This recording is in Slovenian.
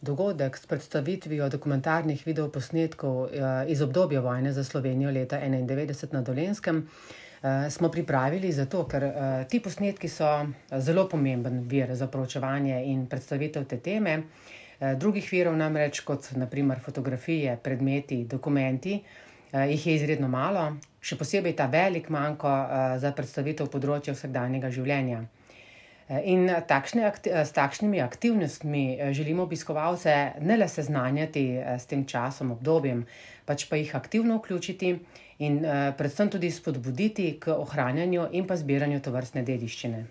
Dogodek s predstavitvijo dokumentarnih videoposnetkov iz obdobja vojne za Slovenijo leta 1991 na Dolenjskem smo pripravili zato, ker ti posnetki so zelo pomemben vir za proučevanje in predstavitev te teme. Drugih virov namreč, kot naprimer fotografije, predmeti, dokumenti, jih je izredno malo, še posebej ta velik manko za predstavitev področja vsakdanjega življenja. In s takšnimi aktivnostmi želimo obiskovalce ne le seznanjati s tem časom, obdobjem, pač pa jih aktivno vključiti in predvsem tudi spodbuditi k ohranjanju in pa zbiranju tovrstne dediščine.